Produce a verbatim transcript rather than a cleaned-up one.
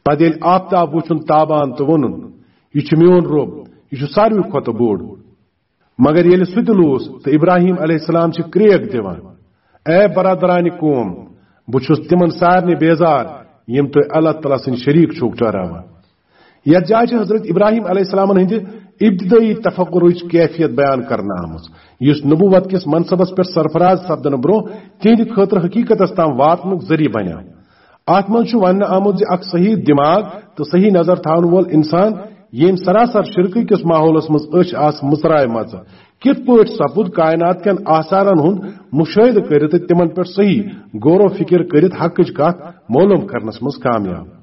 پتہٕ ییٚلہِ آفتاب وُچھُن تابان تہٕ ووٚنُن، "یہِ چھُ میون رۄب، یہِ چھُ ساروی کھۄتہٕ بوٚڑ۔" مگر ییٚلہِ سُہ تہِ لوٗس تہٕ ابراہیم علیہ السلام چھِ کرٛیک دِوان، "اے برادرانہِ قوم، بہٕ چھُس تِمن سارنٕے بیزار، یِم تُہۍ اللہ تعالیٰ سٕنٛدۍ شریٖک چھِو ٹھہراوان۔" یتھ جایہِ چھِ حضرت ابراہیم علیہ السلامن ہٕنٛدِ ابتدٲئی تفکرٕچ کیفیت بیان کرنہٕ آمٕژ، یُس نبوت کِس منصبس پٮ۪ٹھ سرفراز سپدنہٕ برونٛہہ تِہنٛدِ خٲطرٕ حقیقتس تام واتنُک ذٔریعہٕ بنیو۔ اتھ منٛز چھُ وننہٕ آمُت زِ اکھ صحیح دماغ تہٕ صحیح نظر تھاون وول انسان، ییٚمۍ سراسر شرکہٕ کِس ماحولس منٛز أچھ آسہٕ مُژرایمژٕ، کِتھ پٲٹھۍ سپُد کائنات کٮ۪ن آثارن ہُنٛد مشاہدٕ کٔرِتھ تہٕ تِمن پٮ۪ٹھ صحیح غور و فکر کٔرِتھ حقٕچ کتھ معلوم کرنس منٛز کامیاب۔